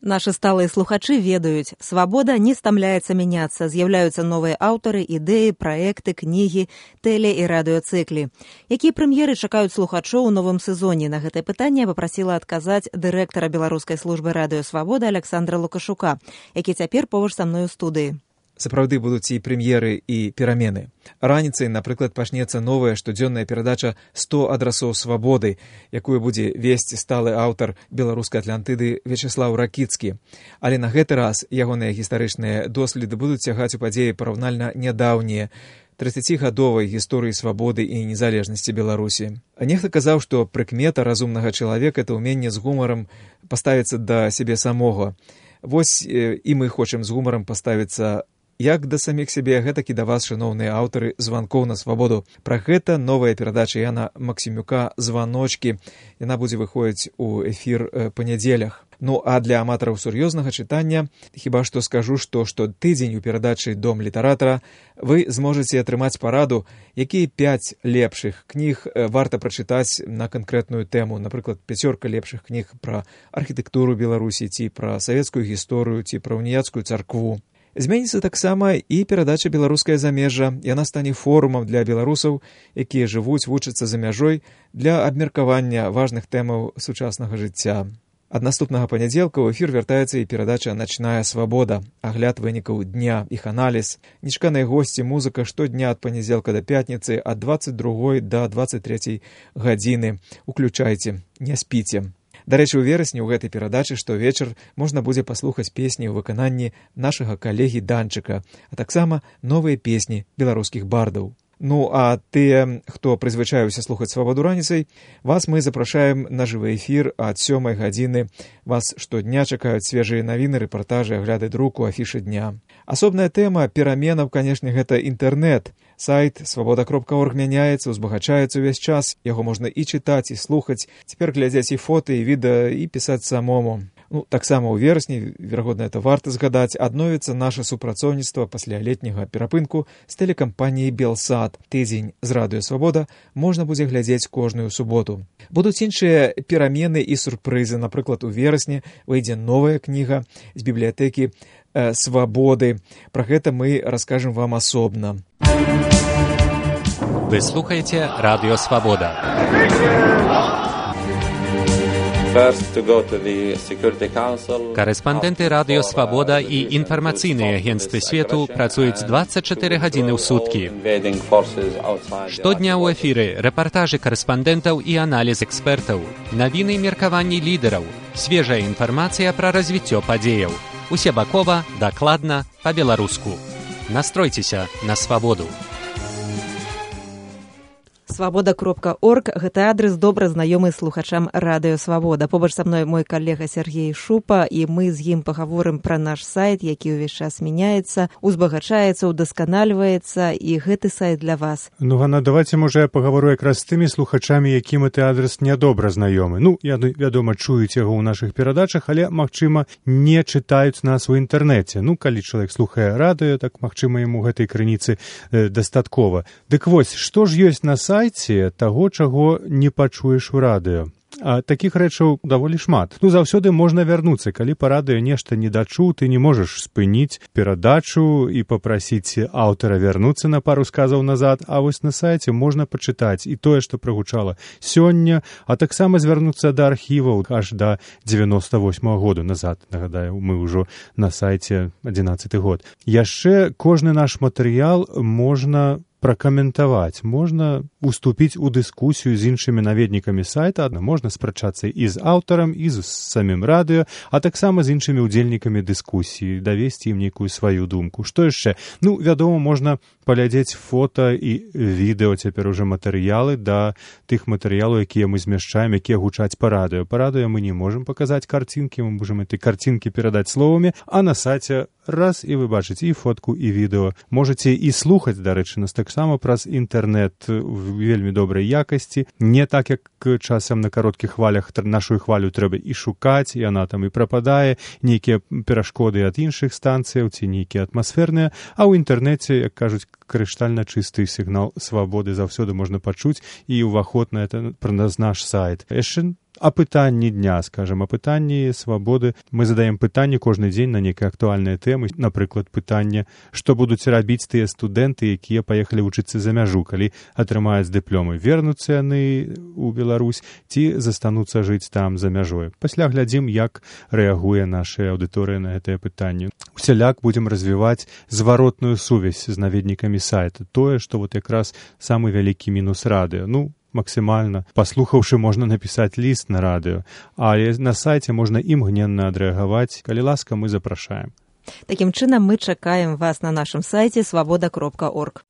Наши сталые слухачы ведаюць, свабода не стамляецца мяняцца, з'яўляюцца новыя аўтары, ідэі, праекты, кнігі, тэле- і радыёцыклі. Якія прэм'еры чакаюць слухачоў у новым сезоне? На гэтае пытанне папрасіла адказаць дырэктара беларускай службы радыё «Свабода» Александра Лукашука, які цяпер побач са мной у студыі. Сапраўды будуць і прэм'еры, і перамены. Раніцай, напрыклад, пачнецца новая штодзённая перадача «100 адрасоў свабоды», якую будзе весці сталы аўтар беларускай Атлантыды Вячеслаў Ракіцкі. Але на гэты раз ягоныя гістарычныя доследы будуць цягаць у падзеі параўнальна нядаўнія, 30-гадовай гісторыі свабоды і незалежнасці Беларусі. Нехта казаў, што прыкмета разумнага чалавека – это ўменне з гумарам паставіцца да сябе самога. Вось і мы хочам з гумарам паставіцца як да саміх сябе, гэтак і да вас, шаноўныя аўтары званкоў на свабоду. Пра гэта новая перадача Яна Максімюка «Званочкі». Яна будзе выходзіць у эфір па нядзелях. Ну, а для аматараў сур'ёзнага чытання хіба што скажу, што штотыдзень у перадачы «Дом літаратара» вы зможаце атрымаць параду, якія 5 лепшых кніг варта прачытаць на канкрэтную тэму. Напрыклад, 5 лепшых кніг пра архітэктуру Беларусі, ці пра савецкую гісторыю, ці пра уніяцкую царкву. Зменіцца таксама і перадача «Беларускае замежжа». Яна стане форумам для беларусаў, якія жывуць, вучацца за мяжой, для абмеркавання важных тэмаў сучаснага жыцця. Ад наступнага панядзелка ў эфір вяртаецца і перадача «Начная свабода», агляд вынікаў дня, іх аналіз, нечаканыя госці, музыка штодня ад панядзелка да пятніцы ад 22 да 23 гадзіны. Уключайце, не спіце. Дарэчы, у верасні ў гэтай перадачы штовечар можна будзе паслухаць песні ў выкананні нашага калегі Данчыка, а таксама новыя песні беларускіх бардаў. Ну, а тыя, хто прызвычаіўся слухаць свабоду раніцай, вас мы запрашаем на жывы эфір ад 7 гадзіны. Вас штодня чакаюць свежыя навіны, рэпартажы, агляды друку, афішы дня. Асобная тэма пераменаў, канешне, гэта інтэрнэт. Сайт свабода.орг мяняецца, узбагачаецца ўвесь час. Яго можна і чытаць, і слухаць. Цяпер глядзяць і фота, і відэа, і пісаць самому. Ну, таксама ў верасні, верагодна, это варта згадаць, адновіцца наша супрацоўніцтва пасля летняга перапынку з тэлекампаніяй «Белсат». Тыдзень з радыё «Свабода» можна будзе глядзець кожную суботу. Будуць іншыя перамены і сюрпрызы. Напрыклад, у верасні выйдзе новая кніга з бібліятэкі «Свабоды». Пра гэта мы раскажам вам асобна. Вы слухаеце радыё «Свабода». Карэспандэнты радыё «Свабода» і інфармацыйныя агенцтвы свету працуюць 24 гадзіны ў суткі. Штодня ў эфіры рэпартажы карэспандэнтаў і аналіз экспертаў, навіны і меркаванні лідараў, свежая інфармацыя пра развіццё падзеяў. Усебакова, дакладна, па-беларуску. Настройцеся на свабоду. Свабода.орг – гэта адрес добра знаёмы слухачам радыё «Свабода». Побач са мной мой калега Сергей Шупа, і мы з ім пагаворым пра наш сайт, які ўвесь час мяняецца, узбагачаецца, удасканальваецца, і гэты сайт для вас. Ну, Ганна, давайте, можа, я пагавору якраз з тымі слухачамі, якім гэты адрес нядобра знаёмы. Ну, вядома, чуюць яго ў нашых перадачах, але, магчыма, не чытаюць нас у інтэрнэце. Ну, калі чалавек слухае радыё, так, магчыма, яму гэтай крыніцы дастаткова. Дык вось, што ж ёсць на сайце таго, чаго не пачуеш у радыё? А такіх рэчаў даволі шмат. Ну, заўсёды можна вярнуцца. Калі па радыё нешта не дачуў, ты не можаш спыніць перадачу і папрасіць аўтара вярнуцца на пару сказаў назад, а вось на сайце можна пачытаць і тое, што прагучала сёння, а таксама звярнуцца да архіваў аж да 98-го году назад. Нагадаю, мы ўжо на сайце 11-й год. Яшчэ кожны наш матэрыял можна пракаментаваць, можна уступіць у дыскусію з іншымі наведнікамі сайта, можна спрачацца і з аўтарам, і з самім радыё, а таксама з іншымі ўдзельнікамі дыскусіі, давесці ім нейкую сваю думку. Што яшчэ? Ну, вядома, можна паглядзець фота і відэо, цяпер уже матэрыялы да тых матэрыялаў, якія мы змяшчаем, якія гучаць па радыё. Па радыё мы не можам паказаць карцінкі, мы можам этой карцінкі перадаць словамі, а на сайце раз і вы бачыце і фотку, і відэо. Можаце і слухаць, дарэчы, нас таксама праз інтэрнэт в вельмі добрай якасці. Не так, як часам на кароткіх хвалях нашу хвалю трэба і шукаць, і яна там і прападае, нейкія перашкоды ад іншых станцыяў ці нейкія атмасферныя, а ў інтэрнэце, як кажуць, крыштальна чысты сігнал свабоды заўсёды можна пачуць і ўваход на это праз наш сайт. Яшчэ апытанні дня, скажем, апытанні свабоды. Мы задаем пытанне кожны дзень на нейкія актуальныя тэмы. Напрыклад, пытанне, што будуць рабіць тыя студэнты, якія паехалі вучыцца за мяжу, калі атрымаюць дыпломы. Вернуцца яны ў Беларусь ці застануцца жыць там за мяжой. Пасля глядзім, як рэагуе наша аўдыторыя на гэтае пытанне. Усяляк будзем развіваць зваротную сувязь з наведнікамі сайта. Тое, што вот якраз самы вялікі мінус радыё. Максімальна. Паслухаўшы, можна напісаць ліст на радыё, але на сайце можна імгненна адрэагаваць. Калі ласка, мы запрашаем. Такім чынам, мы чакаем вас на нашым сайце свабода.орг.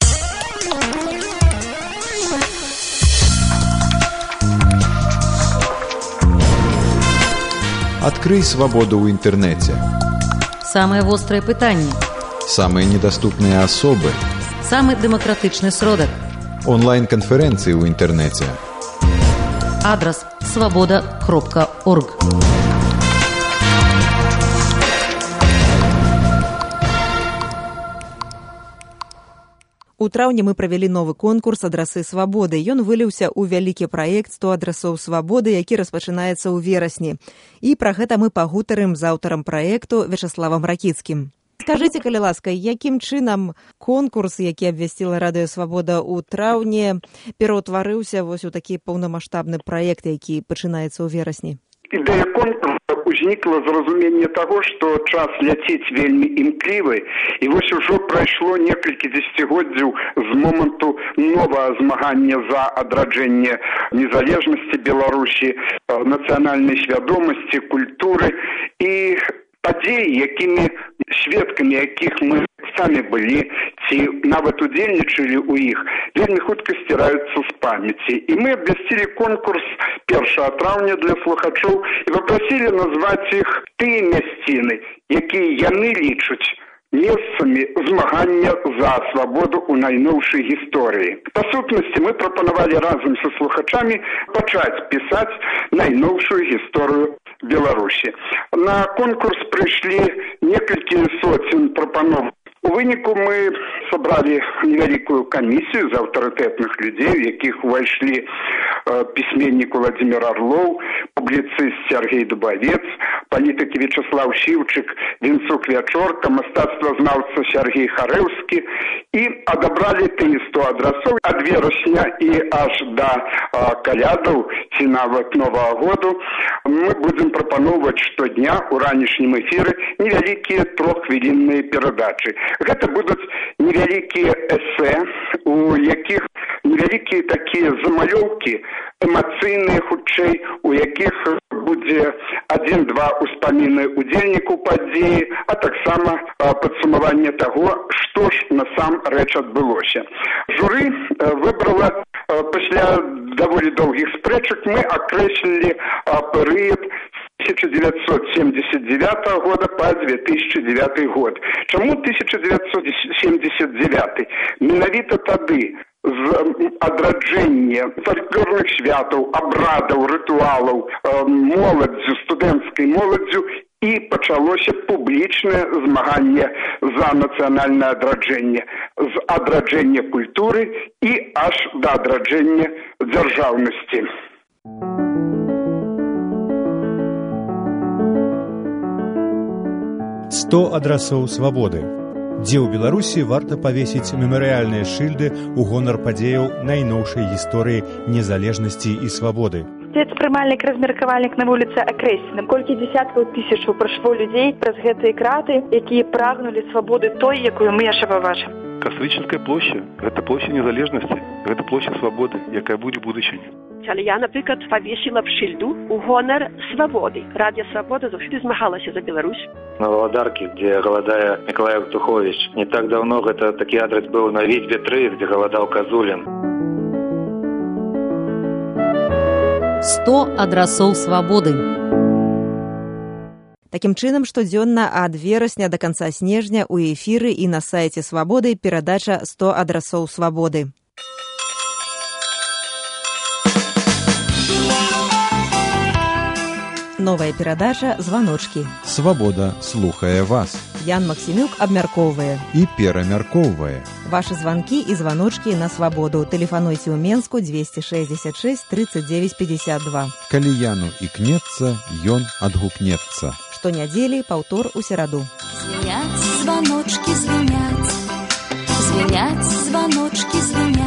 Открый свободу ў інтэрнэце. Самые вострые пытанні. Самые недоступные особы. Самый демократичный сродок. Онлайн-конференции в интернете. Адрес свобода.орг. У траўні мы правялі новы конкурс «Адрасы свабоды». Ён выліўся ў вялікі праект «100 адрасоў свабоды», які распачынаецца ў верасні. І пра гэта мы пагутарым з аўтарам праекту Вячаславам Ракіцкім. Скажыце, калі ласка, якім чынам конкурс, які абвясціла Радыё Свабода ў траўні, пераўтварыўся вось у такі паўнамаштабны праект, які пачынаецца ў верасні? Ідэя конкурса узнікла з разумення таго, што час ляціць вельмі імклівы, і вось ужо прайшло некалькі дзесяцігоддзяў з моманту новага змагання за адраджэнне незалежнасці Беларусі, нацыянальнай свядомасці, культуры і падзеі, якімі сведкамі якіх мы самі былі, ці нават удзельнічалі ў іх, вельмі хутка сціраюцца з памяці. І мы абвясцілі конкурс 1 траўня для слухачоў і папрасілі назваць іх тыя мясціны, якія яны лічаць месцамі змагання за свабоду ў найноўшай гісторыі. Па сутнасці мы прапанавалі разам са слухачамі пачаць пісаць найноўшую гісторыю Беларусі. На конкурс прыйшлі некалькі соцень прапаноў. У выніку мы сабралі невялікую камісію з аўтарытэтных людзей, у якіх увайшлі пісьменнік Владимир Орлов, публіцыст Сергей Дубавец, палітык Вячаслав Шіўчык, Вінцук Вячорка, мастацтвазнаўца Сергей Харэўскі, і адабралі тыя 100 адрасоў ад верасня і аж да калядаў ці нават Новага году. Мы будзем прапаноўваць штодня ў ранішнім эфіры невялікія 3-хвілінныя перадачы. Гэта будуць невялікія эсэ, у якіх невялікія такія замалёўкі, эмацыйныя хутчэй, у якіх будзе 1-2 успаміны удзельнікаў падзеі, а таксама падсумаванне таго, што ж насамрэч адбылося. Журы выбрала пасля даволі доўгіх спрэчак, мы акрэслілі перыяд 1979 года по 2009 год. Чаму 1979? Менавіта тады з адраджэння фальклорных святаў, абрадаў, рытуалаў, моладдзю, студэнцкай моладдзю і пачалося публічнае змаганне за нацыянальнае адраджэнне, з адраджэння культуры і аж да адраджэння дзяржаўнасці. «100 адрасоў свабоды». Дзе ў Беларусі варта павесіць мемарыяльныя шыльды ў гонар падзеяў найноўшай гісторыі незалежнасці і свабоды. Гэта прымальнік, размеркавальнік на вуліцы акрэслены. Колькі дзесяткаў тысячаў прайшло людзей праз гэтыя краты, якія прагнулі свабоды той, якую мы яшчэ пабачым. Кастрычніцкая площа – гэта площа незалежнасці, гэта площа свабоды, якая будзе ў будучыні. Але я, наприклад, повісила б шильду у гонор свободы. Радіо Свобода завжди змагалася за Беларусь. На Володарке, где голодая Николай Евтухович. Не так давно это такой адрес был на Витьбе 3, где голодал Козулин. 100 адрасоў свабоды. Такім чынам, штодзённа ад верасня да канца снежня ў эфіры і на сайце Свабоды перадача 100 адрасоў свабоды. Новая перадача «Званочкі». Свабода слухае вас. Ян Максімюк абмяркоўвае і перамяркоўвае. Вашы званкі і званочкі на свабоду. Тэлефануйце ў Менску 266 39 52. Калі Яну ікнецца, ён адгукнецца. Штонядзелі, паўтор у сераду. Звеняць званочкі, звеняць. Звеняць званочкі, звеняць.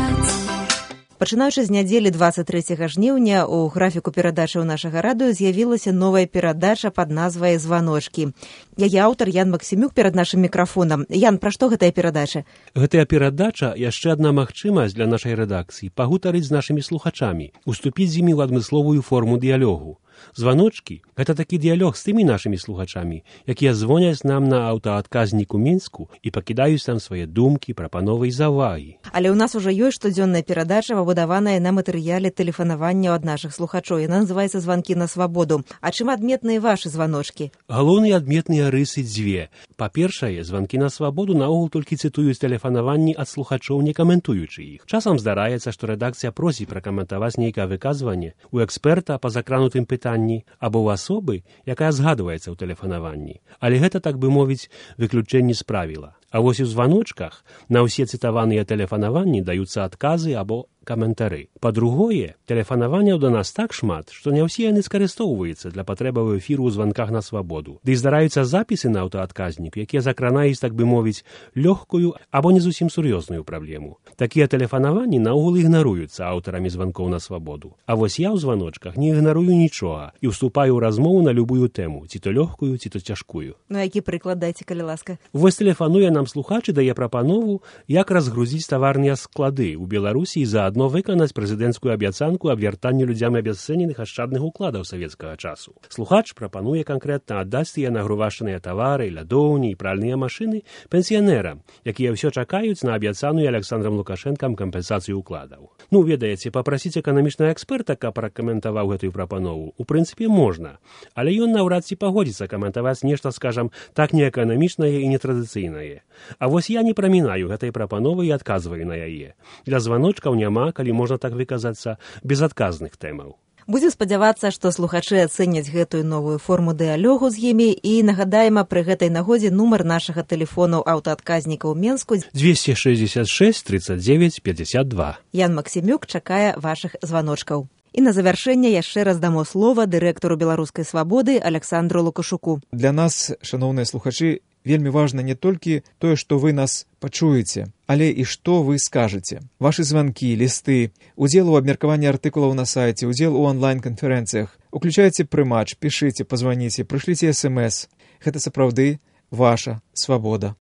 Пачынаючы з нядзелі 23 жніўня у графіку перадачаў нашага радыё з'явілася новая перадача пад назвай «Званочкі». Яе аўтар Ян Максімюк перад нашым мікрафонам. Ян, пра што гэтая перадача? Гэтая перадача яшчэ адна магчымасць для нашай рэдакцыі пагутарыць з нашымі слухачамі, уступіць з імі ў адмысловую форму дыялогу. Званочкі – гэта такі дыялог з тымі нашымі слухачамі, якія звоняць нам на аўтаадказнік у Мінску і пакідаюць там свае думкі, прапановы і заўвагі. Але ў нас ужо ёсць штодзённая перадача, пабудаваная на матэрыяле тэлефанавання ад нашых слухачоў. Яна называецца «Званкі на свабоду». А чым адметныя вашы званочкі? Галоўныя адметныя рысы дзве. Па-першае, званкі на свабоду наогул толькі цытуюць тэлефанаванні ад слухачоў, не каментуючы іх. Часам здараецца, што рэдакцыя просіць пракаментаваць нейкае выказванне у эксперта па закранутым пытанні або ў асобы, якая згадваецца ў тэлефанаванні. Але гэта, так бы мовіць, выключэнне з правіла. А вось у званочках на ўсе цытаваныя тэлефанаванні даюцца адказы або каментары. Па-другое, тэлефанаванняў да нас так шмат, што не ўсе яны скарыстоўваюцца для патрэбаў эфіру ў званках на свабоду. Ды і здараюцца запісы на аўтаадказнік, якія закранаюць, так бы мовіць, лёгкую або не зусім сур'ёзную праблему. Такія тэлефанаванні наогул ігнаруюцца аўтарамі званкоў на свабоду. А вось я ў званочках не ігнарую нічога і ўступаю ў размову на любую тэму, ці то лёгкую, ці то цяжкую. Ну, які прыклад дайце, калі ласка? Вось тэлефануе нам слухач і дае прапанову, як разгрузіць таварныя склады ў Беларусі і заадно выканаць прэзідэнцкую абяцанку аб вяртанні людзям абясцэненых ашчадных укладаў савецкага часу. Слухач прапануе канкрэтна аддаць тыя нагрувашаныя тавары, лядоўні і пральныя машыны пенсіянерам, якія ўсё чакаюць на абяцаную Александрам Лукашэнкам кампенсацыю укладаў. Ну, ведаеце, папрасіць эканамічнага эксперта, каб пракаментаваў гэтую прапанову, у прынцыпе, можна, але ён наўрад ці пагодзіцца каментаваць нешта, скажам, так неэканамічнае і нетрадыцыйнае. А вось я не прамінаю гэтай прапановы і адказваю на яе. Для званочкаў няма, калі можна так выказацца, безадказных тэмаў. Будзем спадзявацца, што слухачы ацэняць гэтую новую форму дыялогу з імі і нагадаем пры гэтай нагодзе нумар нашага тэлефону аўтаадказніка ў Менску 266 39 52. Ян Максімюк чакае вашых званочкаў. І на завяршэнне яшчэ раз дамо слова дырэктару «Беларускай свабоды» Александру Лукашуку. Для нас, шаноўныя слухачы, вельмі важна не толькі тое, што вы нас пачуеце, але і што вы скажаце. Вашы званкі, лісты, удзел у абмеркаванні артыкулаў на сайце, удзел у онлайн-канферэнцыях. Уключайце прымач, пішыце, пазваніце, прышліце смс. Гэта сапраўды ваша свабода.